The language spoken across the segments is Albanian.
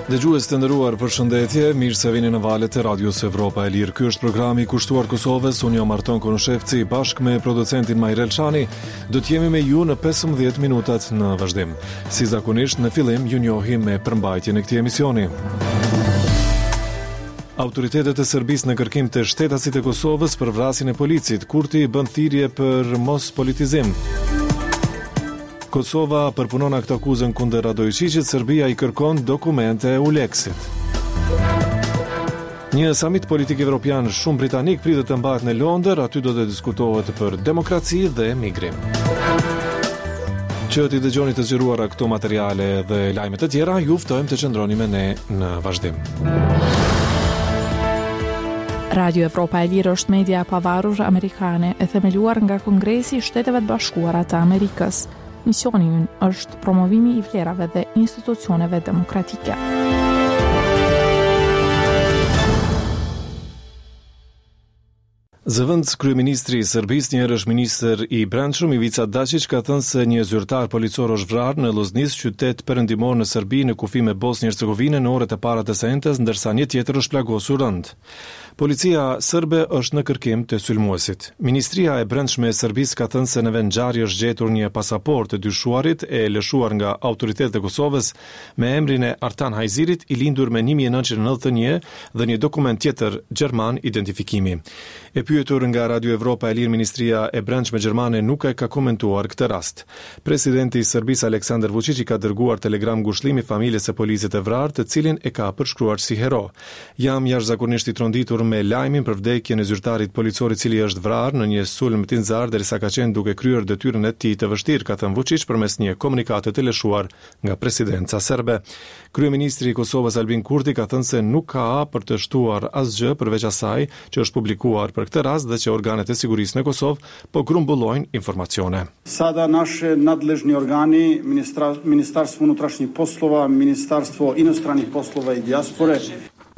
Dëgjues të nderuar, përshëndetje, mirë se vini në valët e Radios Evropa e Lirë. Ky është programi i kushtuar Kosovës, unë jam Arton Konushevci, bashkë me producentin Majrel Shani, do të jemi me ju në 15 minutat në vazhdim. Si zakonisht, në fillim ju njohim me përmbajtjen e këtij emisioni. Autoritetet e Serbisë në kërkim të shtetasit e Kosovës për vrasjen e policit, Kurti bën thirrje për mospolitizim. Kosova përpunon aktakuzën kundër Radoiçiqit, Serbia i kërkon dokumente EULEX-it. Një samit politik evropian shumë britanik pritet të mbahet në Londër, aty do të diskutohet për demokraci dhe migrim. Që t'i dëgjoni të zgjeruara këto materiale dhe lajme të tjera, ju ftojmë të qëndroni me ne në vazhdim. Radio Evropa e Lirë është media e pavarur amerikane e themeluar nga Kongresi i Shteteve të Bashkuara të Amerikës. Misioni ynë është promovimi i vlerave dhe institucioneve demokratike. Zëvendëskryeministri i Serbisë, njëherësh ministër i Brendshëm, Ivica Daçiq ka thënë se një zyrtar policor është vrarë në Lloznicë, qytet perëndimor në Serbi, në kufi me Bosnjë-Hercegovinën në orët e para të së enjtes, ndërsa një tjetër është plagosur rëndë. Policia serbe është në kërkim të sulmuesit. Ministria e Brendshme e Serbisë ka thënë se në vendngjarje është gjetur një pasaportë e dyshuarit e lëshuar nga autoritetet e Kosovës me emrin e Artan Hajzirit, i lindur me 1991 dhe një dokument tjetër gjerman identifikimi. E pyetur nga Radio Evropa e Lirë Ministria e Brendshme gjermane nuk e ka komentuar këtë rast. Presidenti i Serbisë Aleksandar Vuçiq i ka dërguar telegram ngushëllimi familjes së policit të vrarë, të cilin e ka përshkruar si hero. Jam jashtëzakonisht i tronditur me lajmin për vdekjen e zyrtarit policor i cili është vrarë në një sulm tinzar derisa ka qenë duke kryer detyrën e tij të vështirë, ka thënë Vuçiq përmes një komunikate të lëshuar nga presidenca serbe. Kryeministri i Kosovës Albin Kurti ka thënë se nuk ka për të shtuar asgjë përveç asaj që është publikuar për këtë rast dhe që organet e sigurisë në Kosovë po grumbullojnë informacione. Sada naše nadležni organi, Ministarstvo unutrašnjih poslova, Ministarstvo inostranih poslova i dijaspore,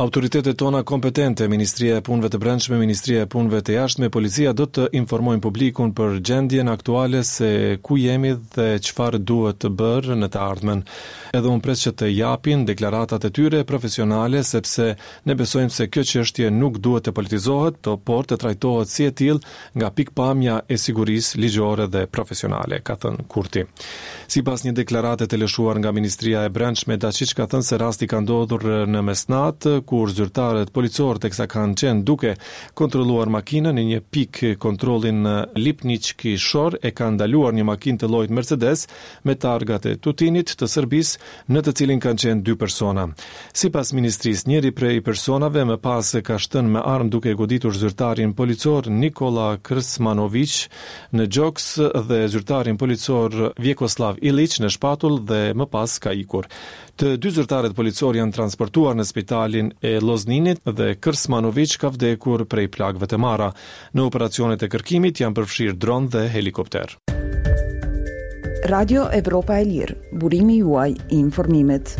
Autoritetet tona kompetente, Ministria e Punëve të Brendshme, Ministria e Punëve të Jashtme, Policia do të informojnë publikun për gjendjen aktuale se ku jemi dhe çfarë duhet të bërë në të ardhmen. Edhe unë pres që të japin deklaratat e tyre profesionale sepse ne besojmë se kjo çështje nuk duhet të politizohet, por të trajtohet si e tillë nga pikëpamja e sigurisë ligjore dhe profesionale, ka thënë Kurti. Sipas një deklarate të lëshuar nga Ministria e Brendshme, Daçiq ka thënë se rasti ka ndodhur në mesnatë, kur zyrtarët policorë teksa kanë qenë duke kontrolluar makinën në një pikë kontrolli në Lipniçki Shor e kanë ndaluar një makinë të llojit Mercedes me targat e Tutinit të Serbisë, në të cilin kanë qenë dy persona. Sipas ministrisë, njëri prej personave më pas ka shtënë me armë duke goditur zyrtarin policor Nikola Krsmanoviq në gjoks dhe zyrtarin policor Vjekoslav Iliq në shpatull dhe më pas ka ikur. Të dy zyrtarët policorë janë transportuar në spitalin e Lozninit dhe Krsmanoviq ka vdekur prej plagëve të marra. Në operacionet e kërkimit janë përfshirë dron dhe helikopter. Radio Evropa e Lirë, burimi juaj i informimit.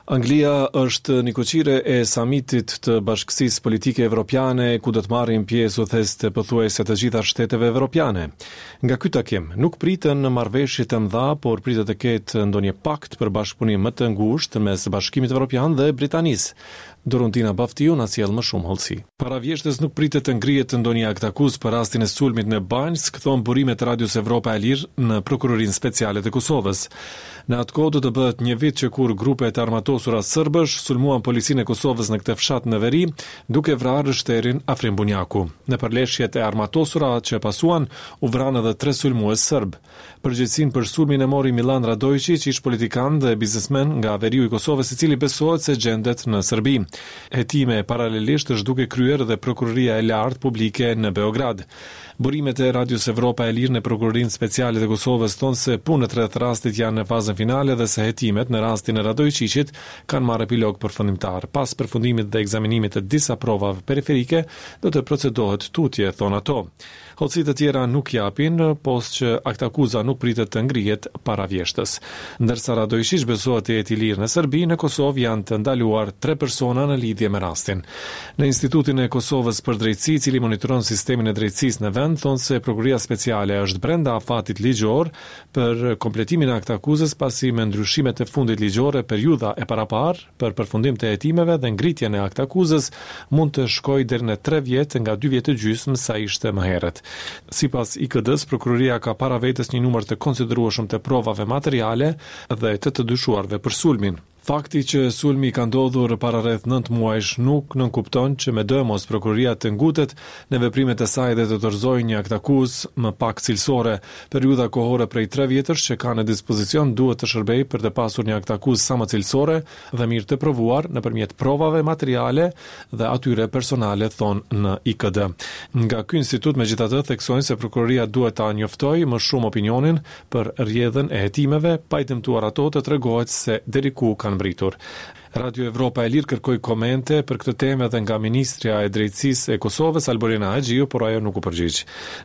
Anglia është nikoqire e samitit të Bashkësisë Politike Evropiane, ku do të marrin pjesë udhëheqës të pothuajse të gjitha shteteve evropiane. Nga ky takim nuk priten marrëveshje të mëdha, por pritet të ketë ndonjë pakt për bashkëpunim më të ngushtë mes Bashkimit Evropian dhe Britanisë. Doruntina Baftiu na sjell më shumë hollësi. Para vjeshtës nuk pritet të ngrihet ndonjë aktakuzë për rastin e sulmit në Banjskë, thonë burimet e Radios Evropa e Lirë në Prokurorinë Speciale të Kosovës. Në atë kohë do të bëhet një vit që kur grupe të armatosura sërbësh sulmuan policinë e Kosovës në këtë fshat në veri, duke vrarë rreshterin Afrim Bunjaku. Në përleshjet e armatosura që pasuan, u vranë edhe tre sulmues sërbë. Përgjegjësinë për sulmin e mori Millan Radoiçiq, ish-politikan dhe biznesmen nga veriu i Kosovës, i cili besohet se gjendet në Serbi. Hetime paralelisht është duke kryer edhe Prokuroria e Lartë Publike në Beograd. Burimet e Radios Evropa e Lirë në Prokurorinë Speciale të Kosovës thonë se punët rreth rastit janë në fazën finale dhe se hetimet në rastin e Radoiçiqit kanë marrë epilog përfundimtar. Pas përfundimit dhe ekzaminimit të disa provave periferike, do të procedohet tutje, thonë ato. Hollësi të tjera nuk japin, pos që aktakuza nuk pritet të ngrihet para vjeshtës. Ndërsa Radoiçiq besohet të jetë i lirë në Serbi, në Kosovë janë të ndaluar tre persona. dhëna në lidhje me rastin. Në Institutin e Kosovës për Drejtësi, i cili monitoron sistemin e drejtësisë në vend, thonë se Prokuroria Speciale është brenda afatit ligjor për kompletimin e aktakuzës pasi me ndryshimet e fundit ligjore periudha e paraparë për përfundim të hetimeve dhe ngritjen e aktakuzës mund të shkojë deri në tre vjet nga dy vjet e gjysmë sa ishte më herët. Sipas IKD-së, prokuroria ka para vetes një numër të konsiderueshëm të provave materiale dhe të të dyshuarve për sulmin. Fakti që sulmi ka ndodhur para rreth nëntë muajsh nuk nënkupton që medoemos prokuroria të ngutet në veprimet e saj dhe të dorëzojë një aktakuzë më pak cilësore. Periudha kohore prej tre vjetësh që ka në dispozicion duhet të shërbejë për të pasur një aktakuzë sa më cilësore dhe mirë të provuar nëpërmjet provave materiale dhe atyre personale, thonë në IKD. Nga ky institut megjithatë theksojnë se prokuroria duhet ta njoftojë më shumë opinionin për rrjedhën e hetimeve, pa i dëmtuar ato të tregohet se deri ku kanë mbërritur. Radio Evropa e Lirë kërkoi komente për këtë temë edhe nga ministrja e Drejtësisë e Kosovës, Albulena Haxhiu, por ajo nuk u përgjigj.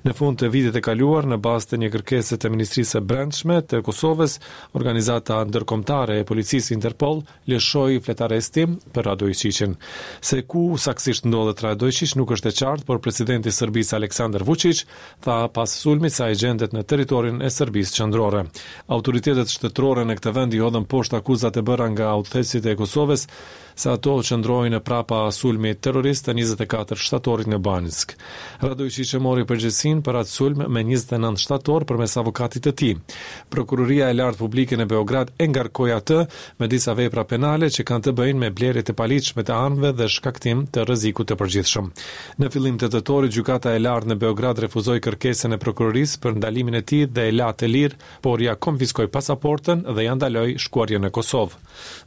Në fund të vitit të kaluar, në bazë të një kërkese të Ministrisë së Brendshme të Kosovës, Organizata Ndërkombëtare e Policisë Interpol lëshoi fletarrestim për Radoiçiqin. Se ku saktësisht ndodhet Radoiçiq nuk është e qartë, por presidenti i Serbisë Aleksandar Vuçiq tha pas sulmit se ai gjendet në territorin e Serbisë qendrore. Autoritetet shtetërore në këtë vend i hodhën poshtë akuzat e bëra nga udhëheqësit e Kosovës se ato qëndrojnë prapa sulmit terrorist të 24 shtatorit në Banjskë. Radoiçiq e mori përgjegjësinë për atë sulm me 29 shtator përmes avokatit të tij. Prokuroria e Lartë Publike në Beograd e ngarkoi atë me disa vepra penale që kanë të bëjnë me blerje të paligjshme të armëve dhe shkaktim të rrezikut të përgjithshëm. Në fillim të tetorit, Gjykata e Lartë në Beograd refuzoi kërkesën e prokurorisë për ndalimin e tij dhe e la të lirë, por ia konfiskoi pasaportën dhe ia ndaloi shkuarjen në Kosovë.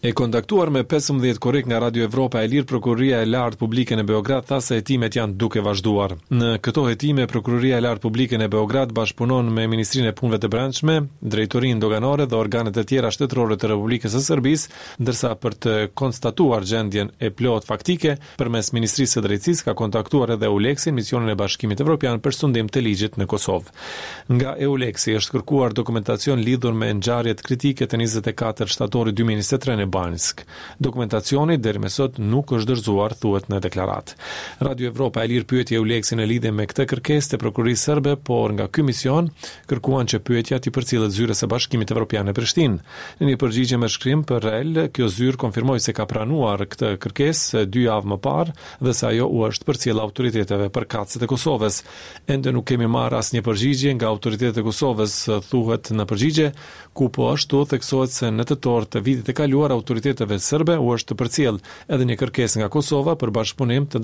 E kontaktuar me 15 korrik nga Radio Evropa e Lirë, Prokuroria e Lartë Publike në Beograd tha se hetimet janë duke vazhduar. Në këto hetime, Prokuroria e Lartë Publike në Beograd bashkëpunon me Ministrinë e Punëve të Brendshme, Drejtorinë Doganore dhe organet e tjera shtetërore të Republikës së Serbisë, ndërsa për të konstatuar gjendjen e plotë faktike, përmes Ministrisë së Drejtësisë ka kontaktuar edhe EULEX-in, misionin e Bashkimit Evropian për sundim të ligjit në Kosovë. Nga EULEX-i është kërkuar dokumentacion lidhur me ngjarjet kritike të 24 shtatorit 2023 në Banjskë. Dokumentacioni deri më sot nuk është dorëzuar, thuhet në deklaratë. Radio Evropa e Lirë pyeti EULEX-in në lidhje me këtë kërkesë të prokurorisë serbe, por nga ky mision kërkuan që pyetja t'i përcillet zyrës së Bashkimit Evropian në Prishtinë. Në një përgjigje me shkrim për REL, kjo zyrë konfirmoi se ka pranuar këtë kërkesë dy javë më parë dhe se ajo u është përcjellë autoriteteve përkatëse të Kosovës. Ende nuk kemi marrë asnjë përgjigje nga autoritetet e Kosovës, thuhet në përgjigje, ku po ashtu theksohet se në tetor të vitit të kaluar autoriteteve serbe u është përcjellë edhe një kërkesë nga Kosova për bashkëpunim të.